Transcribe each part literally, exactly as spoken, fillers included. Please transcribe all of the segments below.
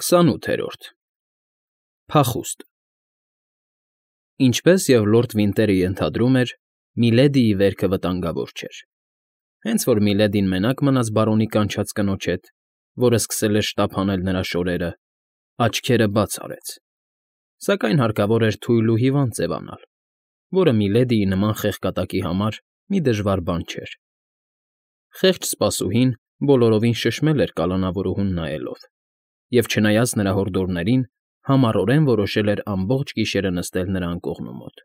Քսանութերորդ Փախուստ Ինչպես և լորդ Վինտերը ենթադրում էր, Միլեդիի վերքը վտանգավոր չէր, հենց որ Միլեդին մենակ մնաց բարոնի կանչած կնոջ հետ, որը սկսել էր շտապ հանել նրա շորերը, աչքերը բաց արեց, սակայն հարկավոր էր թույլ ու հիվանդ ձևանալ, որը Միլեդիի նման խեղկատակի համար մի դժվար բան չէր. խեղճ սպասուհին բոլորովին շշմել էր կալանավորուհուն նայելով և, չնայած նրա հորդորներին, համառորեն որոշել էր ամբողջ գիշերը նստել նրա անկողնու մոտ,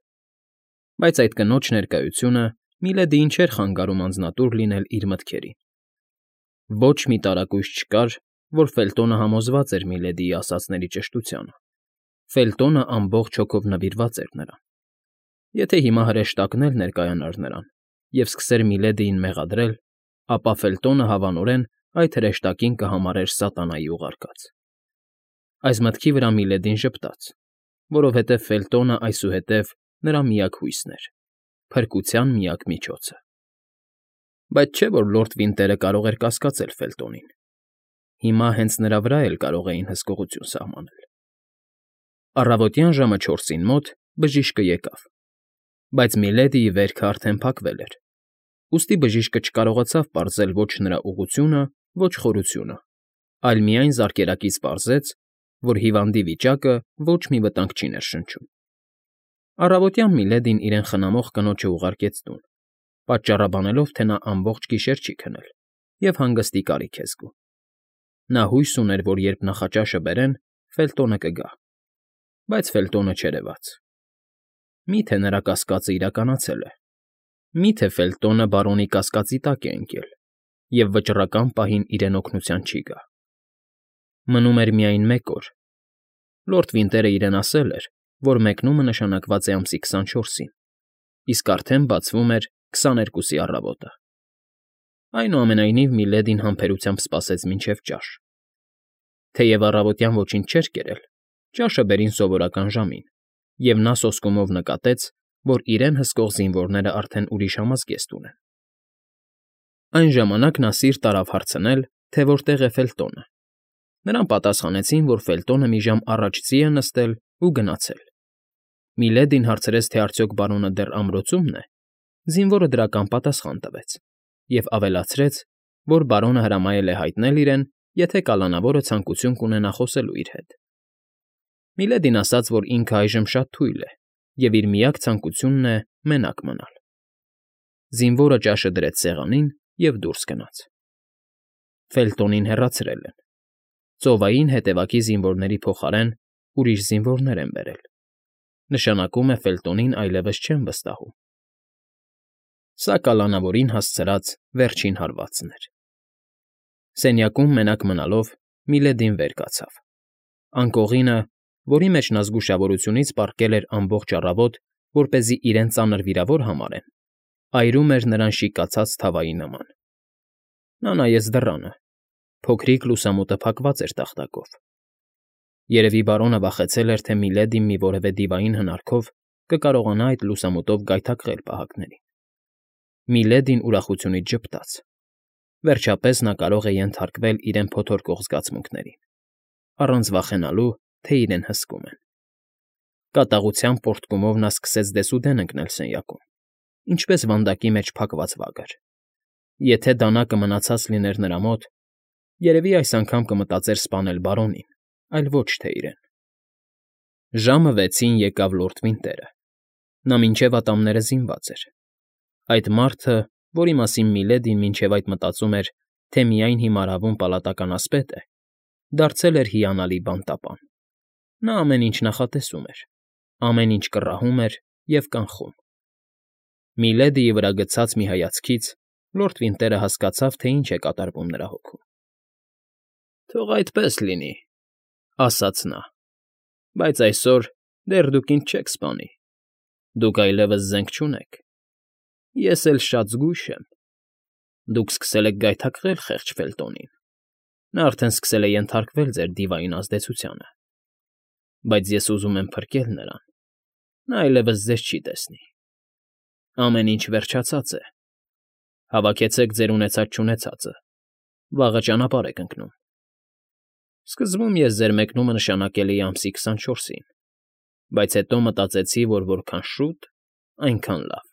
բայց այդ կնոջ ներկայությունը Միլեդիին չէր խանգարում անձնատուր լինել իր մտքերին. ոչ մի տարակույս չկար, որ Ֆելտոնը համոզված էր Միլեդիի ասածների ճշտությանը, Ֆելտոնը ամբողջ հոգով նվիրված էր նրան, եթե հիմա հրեշտակն էլ ներկայանար նրան և սկսեր Միլեդիին մեղադրել, ապա Ֆելտոնը հավանորեն այդ հրեշտակին կհամարեր սատանայի ուղարկած. Այս մտքի վրա Միլեդին ժպտաց, որովհետև Ֆելտոնը այսուհետև նրա միակ հույսն էր, փրկության միակ միջոցը. բայց չէ՞ որ լորդ Վինտերը կարող էր կասկածել Ֆելտոնին, հիմա հենց նրա վրա էլ կարող էին հսկողություն սահմանել։ Առավոտյան ժամը չորսին մոտ բժիշկը եկավ, բայց Միլեդիի վերքը արդեն փակվել էր, ուստի բժիշկը չկարողացավ պարզել ոչ նրա ուղղությունը, ոչ խորությունը, այլ միայն զարկերակից պարզեց, որ հիվանդի վիճակը ոչ մի վտանգ չի ներշնչում։ Առավոտյան Միլեդին իրեն խնամող կնոջը ուղարկեց տուն, պատճառաբանելով, թե նա ամբողջ գիշեր չի քնել և հանգստի կարիք է զգում։ Նա հույս ուներ, որ երբ նախաճաշը բերեն, Ֆելտոնը կգա, բայց Ֆելտոնը չերևաց։ Մի՞թե նրա կասկածը իրականացել է, մի՞թե Ֆելտոնը բարոնի կասկածի տակ է ընկել և վճռական պահին իրեն օգնության չի գա։ Մնում էր միայն մեկ օր. լորդ Վինտերը իրեն ասել էր, որ մեկնումը նշանակված է ամսի քսանչորսին, իսկ արդեն բացվում էր քսաներկուսի առավոտը։ Այնուամենայնիվ Միլեդին համբերությամբ սպասեց մինչև ճաշ։ Թեև առավոտյան ոչինչ չէր կերել, ճաշը բերին սովորական ժամին, և նա սոսկումով նկատեց, որ իրեն հսկող զինվորներն արդեն ուրիշ համազգեստ ունեն։ Այն ժամանակ նա սիրտ արավ հարցնել, թե որտեղ է Ֆելտոնը։ Նրան պատասխանեցին, որ Ֆելտոնը մի ժամ առաջցի է նստել ու գնացել։ Միլեդին հարցրեց, թե արդյոք բարոնը դեռ ամրոցումն է, զինվորը դրական պատասխան տվեց և ավելացրեց, որ բարոնը հրամայել է հայտնել իրեն, եթե կալանավորը ցանկություն կունենա խոսելու իր հետ։ Միլեդին ասաց, որ ինքը այժմ շատ թույլ է և իր միակ ցանկությունն է մենակ մնալ։ Զինվորը ճաշը դրեց սեղանին և դուրս գնաց։ Ֆելտոնին հեռացրել են։ Ծովային հետևակի զինվորների փոխարեն ուրիշ զինվորներ են բերել։ Նշանակում է Ֆելտոնին այլևս չեն վստահում։ Սա կալանավորին հասցրած վերջին հարվածն էր։ Սենյակում մենակ մնալով Միլեդին վեր կացավ։ Անկողինը, որի մեջ նա զգուշավորությունից պառկել էր ամբողջ առավոտ, որպեսզի իրեն ծանր վիրավոր համարեն, այրում էր նրան շիկացած թավայի նման։ Նա նայեց դռանը, փոքրիկ լուսամուտը փակված էր տախտակով։ Երևի բարոնը վախեցել էր, թե Միլեդին մի որևէ դիվային հնարքով կկարողանա այդ լուսամուտով գայթակղել պահակներին։ Միլեդին ուրախությունից ժպտաց։ Վերջապես նա կարող է ենթարկվել իրեն փոթորկող զգացմունքներին, առանց վախենալու, թե իրեն հսկում են։ Կատաղության պոռթկումով նա սկսեց դեսուդեն ընկնել սենյակում, ինչպես վանդակի մեջ փակված վագր։ Եթե դանակը մնացած լիներ նրա մոտ, երևի այս անգամ կմտածեր սպանել բարոնին, այլ ոչ թե իրեն։ Ժամը վեցին եկավ լորդ Վինտերը։ Նա մինչև ատամները զինված էր։ Այդ մարդը, որի մասին Միլեդին մինչև այդ մտածում էր, թե միայն հիմար հավում պալատական ասպետ է, դարձել էր հիանալի բանտապան։ Նա ամեն ինչ նախատեսում էր, ամեն ինչ կռահում էր և կանխում։ Միլեդիի վրա գցած մի հայացքից լորդ Վինտերը հասկացավ, թե ինչ է կատարվում նրա հոգում։ «Թող այդպես լինի,֊ ասաց նա,֊ բայց այսօր դեռ դուք ինձ չեք սպանի։ Դուք այլևս զենք չունեք։ Ես էլ շատ զգույշ եմ։ Դուք սկսել եք գայթակղել խեղճ Ֆելտոնին։ Նա արդեն սկսել է ենթարկվել ձեր դիվային ազդեցությանը։ Բայց ես ուզում եմ փրկել նրան։ Նա այլևս ձեզ չի տեսնի։ Ամեն ինչ վերջացած է։ Հավաքեցեք ձեր ունեցած֊չունեցածը, վաղը ճանապարհ եք ընկնում։ Սկզբում ես ձեր մեկնումը նշանակել էի ամսի քսանչորսին, բայց հետո մտածեցի, որ որքան շուտ, այնքան լավ։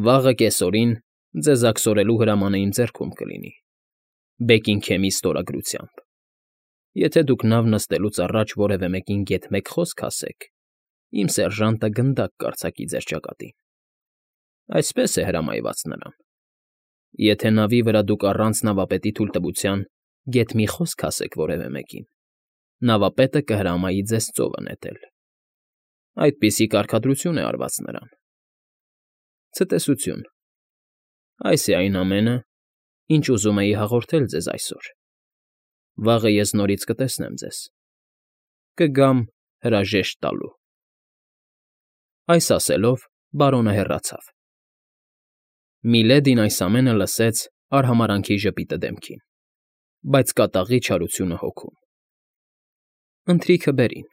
Վաղը կեսօրին ձեզ աքսորելու հրամանը իմ ձեռքում կլինի, Բեքինգհեմի ստորագրությամբ։ Եթե դուք նավ նստելուց առաջ որևէ մեկին գեթ մեկ խոսք ասեք, իմ սերժանտը գնդակ կարձակի ձեր ճակատին։ Այսպես է հրամայված նրան։ Եթե նավի վրա դուք առանց նավապետի թույլտվության գեթ մի խոսք ասեք որևէ մեկին, նավապետը կհրամայի ձեզ ծովը նետել։ Այդպիսի կարգադրություն է արված նրան։ Ցտեսություն։ Այս է այն ամենը, ինչ ուզում էի հաղորդել ձեզ այսօր։ Վաղը ես նորից կտեսնեմ ձեզ։ Կգամ հրաժեշտ տալու։ Այս ասելով բարոնը հեռացավ։ Միլեդին այս ամենը լսեց արհամարանքի ժպիտը դեմքին, բայց կատաղի չարությունը հոգում։ Ընթրիքը բերին։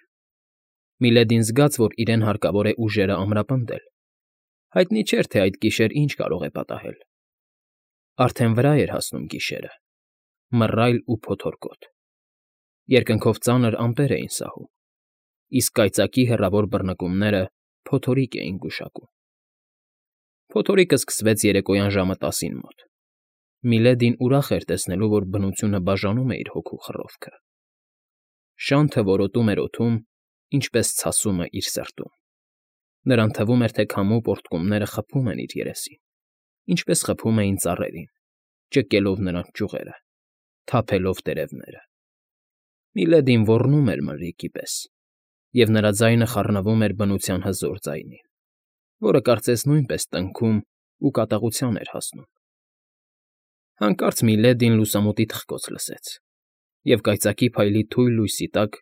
Միլեդին զգաց, որ իրեն հարկավոր է ուժերը ամրապնդել։ Հայտնի չէր, թե այդ գիշեր ինչ կարող է պատահել։ Արդեն վրա էր հասնում գիշերը, մռայլ ու փոթորկոտ։ Երկնքով ծանր ամպեր էին սահում, իսկ կայծակի հեռավոր բռնկումները փոթորիկ էին գուշակում։ Փոթորիկը սկսվեց երեկոյան ժամը տասին մոտ։ Միլեդին ուրախ էր տեսնելու, որ բնությունը բաժանում է իր հոգու խռովքը։ Շանթը որոտում էր օդում, ինչպես ցասումը իր սրտում։ Նրան թվում էր, թե քամու պոռթկումները խփում են իր երեսին, ինչպես խփում էին ծառերին, ճկելով նրանց ճյուղերը, թափելով տերևները։ Միլեդին ոռնում էր մրրիկի պես, և նրա ձայնը խառնվում էր բնության հզոր ձայնին, որը կարծես նույնպես տնքում ու կատաղության էր հասնում։ Հանկարծ Միլեդին լուսամուտի թխկոց լսեց, և կայծակի փայլի թույլ լույսի տակ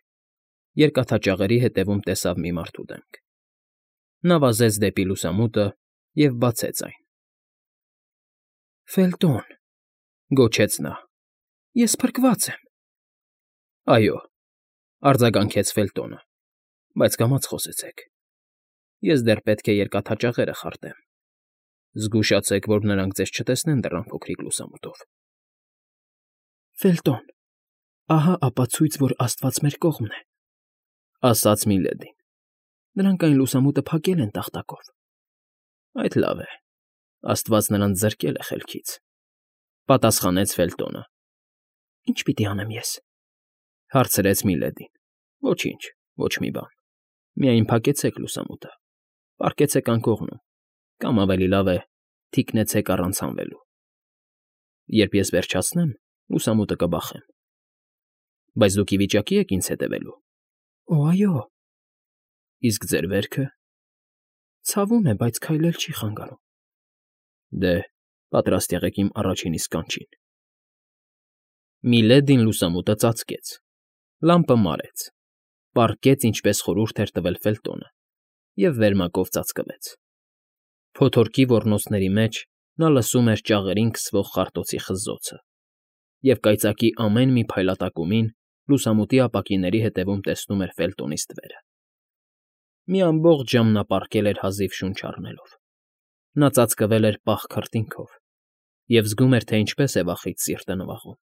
երկաթաճաղերի հետևում տեսավ մի մարդու դեմք։ Նա վազեց դեպի լուսամուտը և բացեց այն։ ֊ Ֆելտոն,֊ գոչեց նա,֊ ես փրկված եմ։ ֊ Այո,֊ արձագանքեց Ֆելտոնը,֊ բայց կամաց խոսեցեք։ Ես դեռ պետք է երկաթաճաղերը խարտեմ։ Զգուշացեք, որ նրանք ձեզ չտեսնեն դռան փոքրիկ լուսամուտով։ ֊ Ֆելտոն, ահա ապացույց, որ աստված մեր կողմն է,֊ ասաց Միլեդին։ Նրանք այն լուսամուտը փակել են տախտակով։ ֊ Այդ լավ է, աստված նրանց զրկել է խելքից,֊ պատասխանեց Ֆելտոնը։ ֊ Ի՞նչ պիտի անեմ ես,֊ հարցրեց Միլեդին։ ֊ Ոչինչ, ոչ մի բան, միայն փակեցեք լուսամուտը, պառկեցեք անկողնում, կամ ավելի լավ է, թիկնեցեք առանց հանվելու։ Երբ ես վերջացնեմ, լուսամուտը կբախեմ։ ֊ Բայց դուք ի վիճակի եք ինձ հետևելու։ ֊ Օ, այո։ ֊ Իսկ ձեր վերքը։ ֊ Ցավում է, բայց քայլել չի խանգարում։ ֊ Դե, պատրաստ եղեք իմ առաջին իսկ կանչին։ Միլեդին լուսամուտը ծածկեց, լամպը մարեց, պառկեց, ինչպես խորհուրդ էր տվել Ֆելտոնը, և վերմակով ծածկվեց։ Փոթորկի ոռնոցների մեջ նա լսում էր ճաղերին քսվող խարտոցի խզզոցը և կայծակի ամեն մի փայլատակումին լուսամուտի ապակիների հետևում տեսնում էր Ֆելտոնի ստվերը։ Մի ամբողջ ժամ նա պառկել էր հազիվ շունչ առնելով։ Նա ծածկվել էր պաղ քրտինքով և զգում էր, թե ինչպես է վախից սիրտը նվաղում,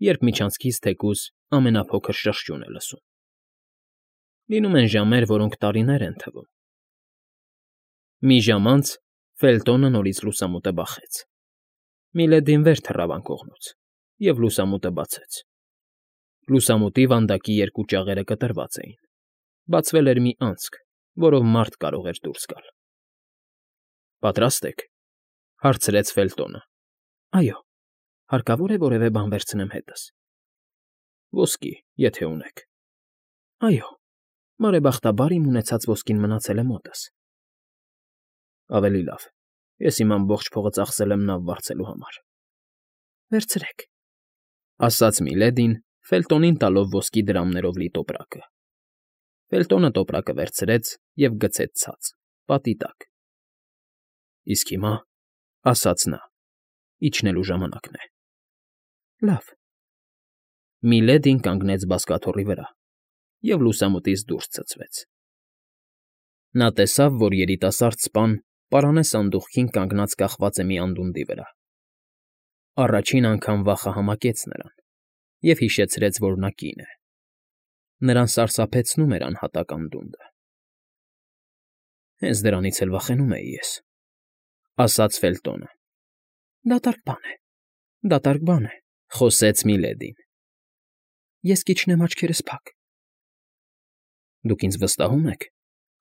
երբ միջանցքից թեկուզ ամենափոքր շրշյուն է լսում։ Լինում են ժամեր, որոնք տարիներ են թվում։ Մի ժամ անց Ֆելտոնը նորից լուսամուտը բախեց։ Միլեդին վեր թռավ անկողնուց և լուսամուտը բացեց։ Լուսամուտի վանդակի երկու ճաղերը կտրված էին, բացվել էր մի անցք, որով մարդ կարող էր դուրս գալ։ ֊ Պատրաստ եք,֊ հարցրեց Ֆելտոնը։ ֊ Այո, հարկավո՞ր է որևէ բան վերցնեմ հետս։ ֊ Ոսկի, եթե ունեք։ ֊ Այո, բարեբախտաբար իմ ունեցած ոսկին մնացել է մոտս։ ֊ Ավելի լավ, ես իմ ամբողջ փողը ծախսել եմ նավ վարձելու համար։ ֊ Վերցրեք,֊ ասաց Միլեդին, Ֆելտոնին տալով ոսկի դրամներով լի տոպրակը։ Ֆելտոնը տոպրակը վերցրեց և գցեց ցած, պատի տակ։ ֊ Իսկ հիմա,֊ ասաց նա,֊ իջնելու ժամանակն է։ ֊ Լավ։ Միլեդին կանգնեց բազկաթոռի վրա և լուսամուտից դուրս ցցվեց։ Նա տեսավ, որ երիտասարդ սպան պարանե սանդուղքին կանգնած կախված է մի անդունդի վրա։ Առաջին անգամ վախը համակեց նրան։ և հիշեցրեց, որ նա կին է։ Նրան սարսափեցնում էր անհատակ անդունդը։ «Հենց դրանից էլ վախենում էի ես,֊ ասաց Ֆելտոնը։ ֊ Դատարկ բան է, դատարկ բան է,֊ խոսեց Միլեդին։ Ես կիջնեմ աչքերս փակ։ ֊ Դուք ինձ վստահո՞ւմ եք,֊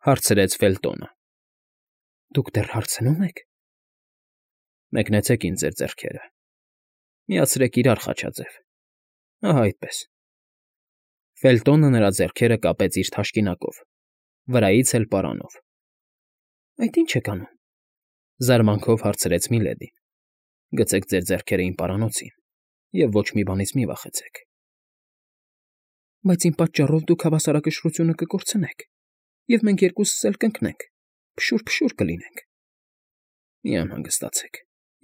հարցրեց Ֆելտոնը։ ֊ Դուք դեռ հարցնո՞ւմ եք։ Մեկնեցեք ինձ ձեր ձեռքերը, միացրեք իրար, Խաչաձև, ահա այդպես։ Ֆելտոնը նրա ձեռքերը կապեց իր թաշկինակով, վրայից էլ պարանով։ ֊ Այդ ի՞նչ եք անում,֊ զարմանքով հարցրեց Միլեդին։ ֊ Գցեք ձեր ձեռքերը իմ պարանոցին և ոչ մի բանից մի վախեցեք։ ֊ Բայց իմ պատճառով դուք հավասարակշռությունը կկորցնեք, և մենք երկուսս էլ կընկնենք, փշուր֊փշուր կլինենք։ ֊ Մի անհանգստացեք,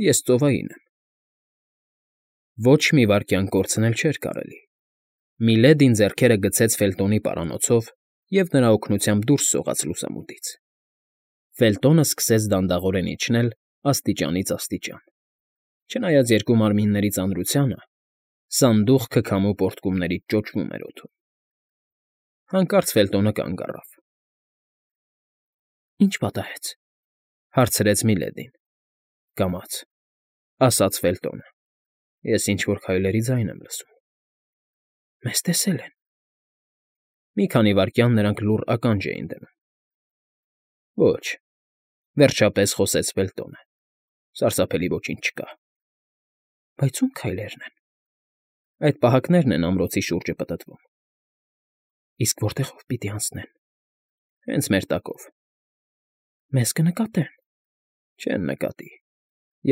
ես ծովային եմ։ Ոչ մի վայրկյան կորցնել չէր կարելի։ Միլեդին ձեռքերը գցեց Ֆելտոնի պարանոցով և նրա օգնությամբ դուրս սողաց լուսամուտից։ Ֆելտոնը սկսեց դանդաղորեն իջնել աստիճանից աստիճան։ Չնայած երկու մարմինների ծանրությանը, սանդուղքը քամու պոռթկումներից ճոճվում էր օդում։ Հանկարծ Ֆելտոնը կանգ առավ։ ֊ Ի՞նչ պատահեց,֊ հարցրեց Միլեդին։ ֊ Կամաց,֊ ասաց Ֆելտոնը։ Ես ինչ֊որ քայլերի ձայն եմ լսում։ ֊ Մեզ տեսել են։ Մի քանի վայրկյան նրանք լուռ ականջ էին դնում։ ֊ Ոչ,֊ վերջապես խոսեց Ֆելտոնը,֊ սարսափելի ոչինչ չկա։ ֊ Բայց ո՞ւմ քայլերն են։ ֊ Այդ պահակներն են ամրոցի շուրջը պտտվում։ ֊ Իսկ որտեղով պիտի անցնեն։ ֊ Հենց մեր տակով։ ֊ Մեզ կնկատե՞ն։ ֊ Չեն նկատի,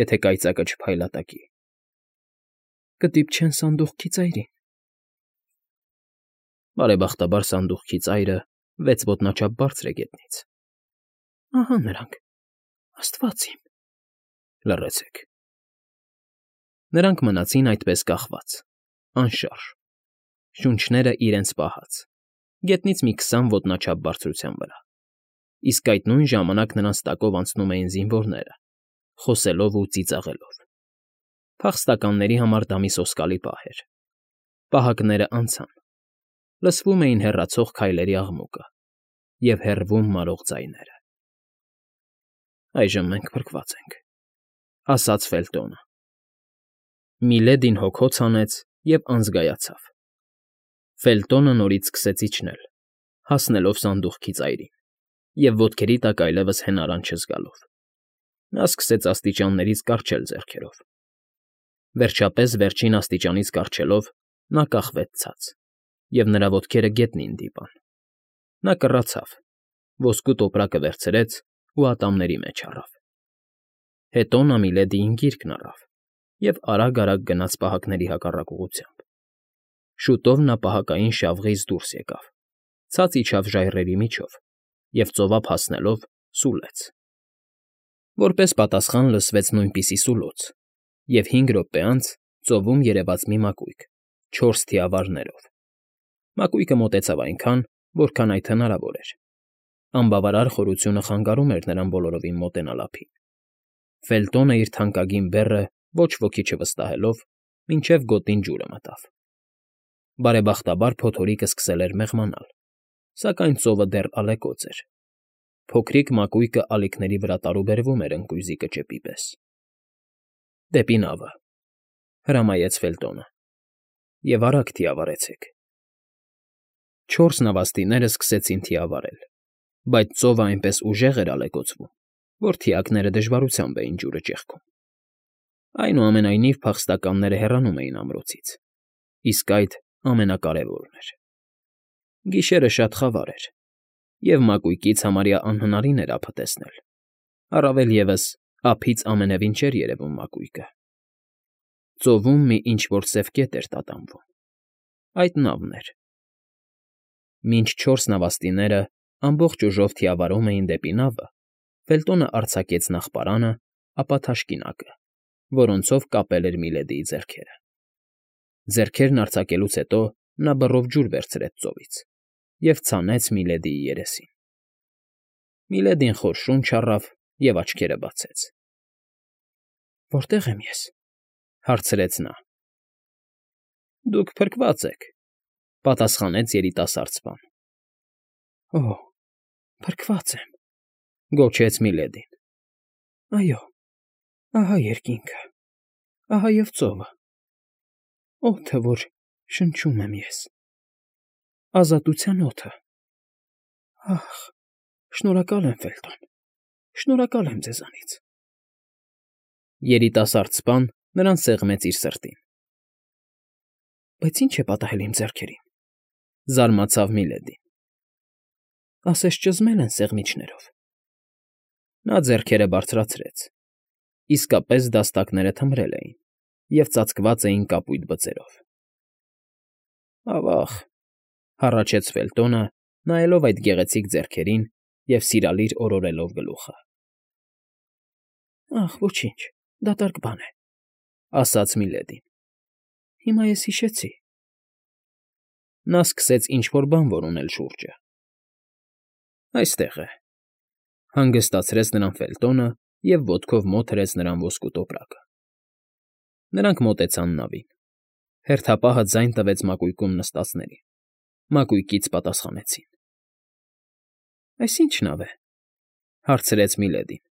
եթե կայծակը չփայլատակի։ ֊ Կդիպչեն սանդուղքի ծայրին։ ֊ Բարեբախտաբար սանդուղքի ծայրը վեց ոտնաչափ բարձր է գետնից։ ֊ Ահա նրանք, աստված իմ… Լռեցեք։ Նրանք մնացին այդպես կախված, անշարժ, շունչները իրենց պահած, գետնից մի քսան ոտնաչափ բարձրության վրա, իսկ այդ նույն ժամանակ նրանց տակով անցնում էին զինվորները, խոսելով ու ծիծաղելով։ Փախստականների համար դա մի սոսկալի պահ էր։ Պահակներն անցան, լսվում էին հեռացող քայլերի աղմուկը և հեռվում մարող ձայները։ Այժմ մենք փրկված ենք,֊ ասաց Ֆելտոնը։ Միլեդին հոգոց հանեց և անզգայացավ։ Ֆելտոնը նորից սկսեց իջնել, հասնելով սանդուղքի ծայրին և ոտքերի տակ այլևս հենարան չզգալով։ Նա սկսեց աստիճաններից կառչել ձեռքերով։ Վերջապես, վերջին աստիճանից կառչելով, նա կախվեց ցած, և նրա ոտքերը գետնին դիպան։ Նա կռացավ, ոսկու տոպրակը վերցրեց ու ատամների մեջ առավ։ Հետո նա Միլեդիին գիրկն առավ և արագ֊արագ գնաց պահակների հակառակ ուղղությամբ։ Շուտով նա պահակային շավղից դուրս եկավ, ցած իջավ ժայռերի միջով և ծովափ հասնելով սուլեց։ Որպես պատասխան լսվեց նույնպիսի սուլոց, և հինգ րոպե անց ծովում երևաց մի մակույկ չորս թիավարներով։ Մակույկը մոտեցավ այնքան, որքան այդ հնարավոր էր։ Անբավարար խորությունը խանգարում էր նրան բոլորովին մոտենալ ափին։ Ֆելտոնը իր թանկագին բեռը ոչ ոքի չվստահելով, մինչև գոտին ջուրը մտավ։ Բարեբախտաբար փոթորիկը սկսել էր մեղմանալ, սակայն ծովը դեռ ալեկոծ էր։ Փոքրիկ մակույկը ալիքների վրա տարուբերվում էր ընկույզի կճեպի պես։ ֊ Դեպի նավը,֊ հրամայեց Ֆելտոնը,֊ և արագ թիավարեցեք։ Չորս նավաստիները սկսեցին թիավարել, բայց ծովը այնպես ուժեղ էր ալեկոծվում, որ թիակները դժվարությամբ էին ջուրը ճեղքում։ Այնուամենայնիվ փախստականները հեռանում էին ամրոցից, իսկ այդ ամենակարևորն էր։ Գիշերը շատ խավար էր, և մակույկից համարյա անհնարին էր ափը տեսնել, առավել ևս ափից ամենևին չէր երևում մակույկը։ Ծովում մի ինչ֊որ սև կետ էր տատանվում։ Այդ նավն էր։ Մինչ չորս նավաստիները ամբողջ ուժով թիավարում էին դեպի նավը, Ֆելտոնը արձակեց նախ պարանը, ապա թաշկինակը, որոնցով կապել էր Միլեդիի ձեռքերը։ Ձեռքերն արձակելուց հետո նա բռով ջուր վերցրեց ծովից և ցանեց Միլեդիի երեսին։ Միլեդին խոր շունչ առավ և աչքերը բացեց։ ֊ Որտե՞ղ եմ ես,֊ հարցրեց նա։ Դուք փրկված եք,֊ պատասխանեց երիտասարդ սպան։ ֊ Օ՜, փրկված եմ,֊ գոչեց Միլեդին։ ֊ Այո, ահա երկինքը, ահա և ծովը, օդը, որ շնչում եմ ես, ազատության օդը… Ախ, շնորհակալ եմ, Ֆելտոն, շնորհակալ եմ ձեզանից… Երիտասարդ սպան նրան սեղմեց իր սրտին։ ֊ Բայց ի՞նչ է պատահել իմ ձեռքերին,֊ զարմացավ Միլեդին։ ֊ Ասես ճզմել են սեղմիչներով… Նա ձեռքերը բարձրացրեց. իսկապես դաստակները թմրել էին և ծածկված էին կապույտ բծերով։ ֊ Ավա՜ղ,֊ հառաչեց Ֆելտոնը, նայելով այդ գեղեցիկ ձեռքերին և սիրալիր օրորելով գլուխը։ ֊ Ախ, ոչինչ, դատարկ բան է,֊ ասաց Միլեդին։ ֊ Հիմա ես հիշեցի… Նա սկսեց ինչ֊որ բան որոնել շուրջը։ ֊ Այստեղ է,֊ հանգստացրեց նրան Ֆելտոնը և ոտքով մոտ հրեց նրան ոսկու տոպրակը։ Նրանք մոտեցան նավին։ Հերթապահը ձայն տվեց մակույկում նստածներին։ Մակույկից պատասխանեցին։ ֊ Այս ի՞նչ նավ է,֊ հարցրեց Միլեդին։ ֊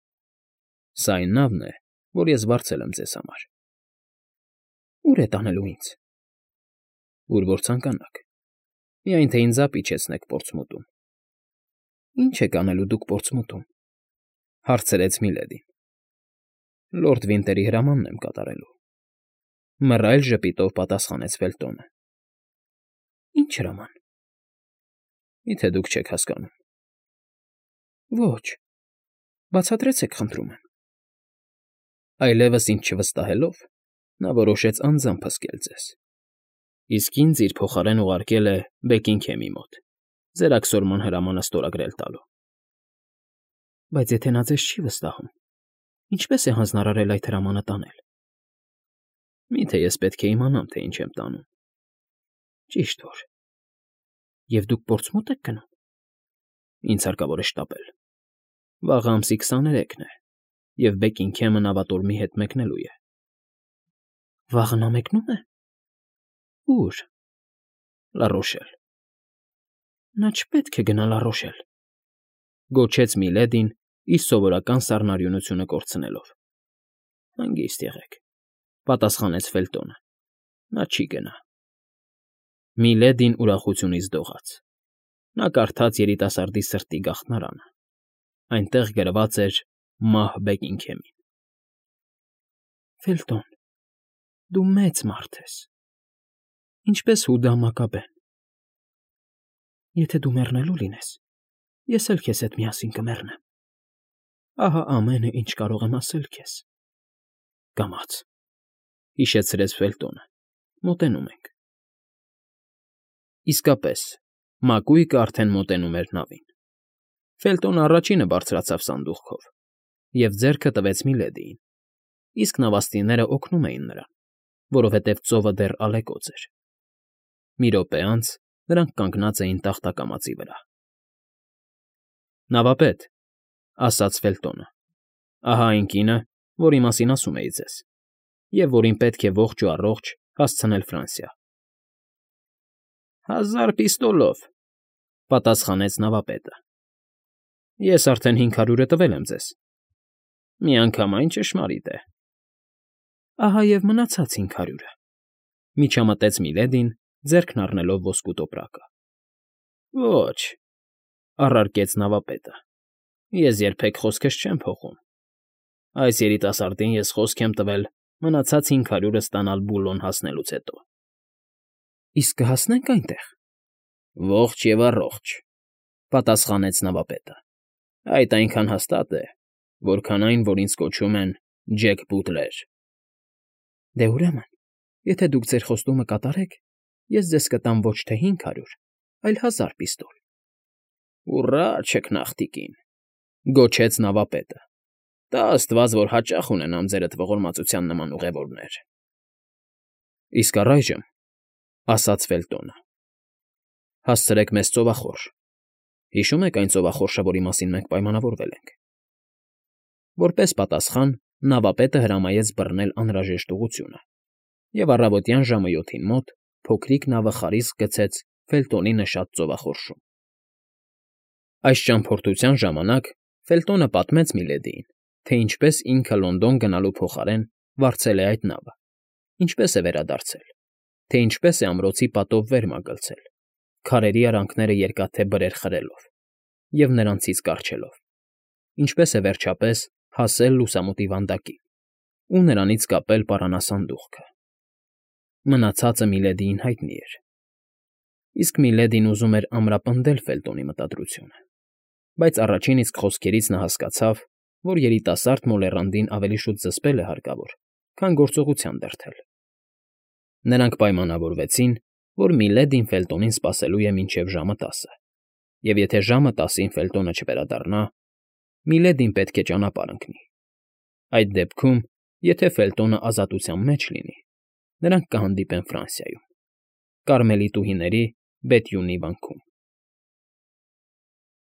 Սա այն նավն է, որ ես վարձել եմ ձեզ համար։ ֊ Ո՞ւր է տանելու ինձ։ ֊ Ուր որ ցանկանաք, միայն թե ինձ ապիչեցնեք Պորտսմութում։ ֊ Ի՞նչ եք անելու դուք Պորտսմութում,֊ հարցրեց Միլեդին։ ֊ Լորդ Վինտերի հրամանն եմ կատարելու,֊ մռայլ ժպիտով պատասխանեց Ֆելտոնը։ ֊ Ի՞նչ հրաման։ ֊ Մի՞թե դուք չեք հասկանում։ ֊ Ոչ, բացատրեցեք, խնդրում եմ։ Այլևս ինձ չվստահելով՝ նա որոշեց անձամբ հսկել ձեզ, իսկ ինձ իր փոխարեն ուղարկել է Բեքինգհեմի մոտ՝ ձերաքսորման հրամանը ստորագրել տալու։ ֊ Բայց եթե նա ձեզ չի վստահում, ինչպե՞ս է հանձնարարել այդ հրամանը տանել։ ֊ Մի՞թե ես պետք է իմանամ, թե ինչ եմ տանում։ ֊ Ճիշտ որ… Եվ դուք Պորտսմութ եք գնում։ ֊ Ինձ հարկավոր է շտապել։ Վաղը ամսի քսաներեքն է, և Բեքինգհեմը նավատորմի հետ մեկնելու է։ ֊ Վաղը նա մեկնո՞ւմ է։ ֊ Ո՞ւր։ ֊ Լառոշել։ ֊ Նա չպետք է գնա Լառոշել,֊ գոչեց Միլեդին, իր սովորական սառնարյունությունը կորցնելով։ ֊ Հանգիստ եղեք,֊ պատասխանեց Ֆելտոնը,֊ նա չի գնա։ Միլեդին ուրախությունից դողաց։ Նա կարդաց երիտասարդի սրտի գաղթարանը. այնտեղ գրված էր «Մահ Բեքինգհեմին»։ ֊ Ֆելտոն, դու մեծ մարդ ես, ինչպես Հուդա Մակաբեն… Եթե դու մեռնելու լինես, ես էլ քեզ հետ միասին կմեռնեմ… Ահա ամենը, ինչ կարող եմ ասել քեզ… Կամաց…֊ հիշեցրեց Ֆելտոնը։֊ Մոտենում ենք… Իսկապես, մակույկը արդեն մոտենում էր նավին։ Ֆելտոնը առաջինը բարձրացավ սանդուղքով և ձեռքը տվեց Միլեդիին, իսկ նավաստիները օգնում էին նրան, որովհետև ծովը դեռ ալեկոծ էր։ Մի րոպե անց նրանք կանգնած էին տախտակամածի վրա։ ֊ Նավապետ,֊ ասաց Ֆելտոնը,֊ ահա այն կինը, որի մասին ասում էի ձեզ, և որին պետք է ողջ ու առողջ հասցնել Ֆրանսիա։ ֊ Հազար պիստոլով,֊ պատասխանեց նավապետը։ ֊ Ես արդեն հինգ հարյուրը տվել եմ ձեզ։ ֊ Միանգամայն ճշմարիտ է։ ֊ Ահա և մնացած հինգ հարյուրը,֊ միջամտեց Միլեդին, ձեռքն առնելով ոսկու տոպրակը։ ֊ Ոչ,֊ առարկեց նավապետը,֊ ես երբեք խոսքս չեմ փոխում։ Այս երիտասարդին ես խոսք եմ տվել մնացած հինգ հարյուրը ստանալ Բուլոն հասնելուց հետո։ ֊ Իսկ կհասնե՞նք այնտեղ։ ֊ Ողջ և առողջ,֊ պատասխանեց նավապետը։֊ Այդ այնքան հաստատ է, որքան այն, որ ինձ կոչում են Ջեք Բուտլեր։ ֊ Դե, ուրեմն, եթե դուք ձեր խոստումը կատարեք, ես ձեզ կտամ ոչ թե հինգ հարյուր, այլ հազար պիստոլ։ ֊ Ուռա, չքնաղտիկին,֊ գոչեց նավապետը։֊ Տա աստված, որ հաճախ ունենամ ձերդ ողորմածության նման ուղևորներ։ ֊ Իսկ առայժմ,֊ ասաց Ֆելտոնը,֊ հասցրեք մեզ ծովախորշ… Հիշո՞ւմ եք այն ծովախորշը, որի մասին մենք պայմանավորվել ենք։ Որպես պատասխան նավապետը հրամայեց բռնել անհրաժեշտ ուղղությունը, և առավոտյան ժամը յոթին մոտ փոքրիկ նավը խարիսկ գցեց Ֆելտոնի նշած ծովախորշում։ Այս ճամփորդության ժամանակ Ֆելտոնը պատմեց Միլեդիին, թե ինչպես ինքը Լոնդոն գնալու փոխարեն վարձել է այդ նավը, ինչպես է վերադարձել, թե ինչպես է ամրոցի պատով վեր մագլցել, քարերի արանքները երկաթե բրեր խրելով և նրանցից կառչելով, ինչպես է վերջապես հասել լուսամուտի վանդակին ու նրանից կապել պարանասանդուղքը։ Մնացածը Միլեդիին հայտնի էր, իսկ Միլեդին ուզում էր ամրապնդել Ֆելտոնի մտադրությունը, բայց առաջին իսկ խոսքերից նա հասկացավ, որ երիտասարդ մոլեռանդին ավելի շուտ զսպել է հարկավոր, քան գործողության դրդել։ Նրանք պայմանավորվեցին, որ Միլեդին Ֆելտոնին սպասելու է մինչև ժամը տասը, և եթե ժամը տասին Ֆելտոնը չվերադառնա, Միլեդին պետք է ճանապարհ ընկնի։ Այդ դեպքում, եթե Ֆելտոնը ազատության մեջ լինի, նրանք կհանդիպեն Ֆրանսիայում, Կարմելիտուհիների Բեթյունի վանքում։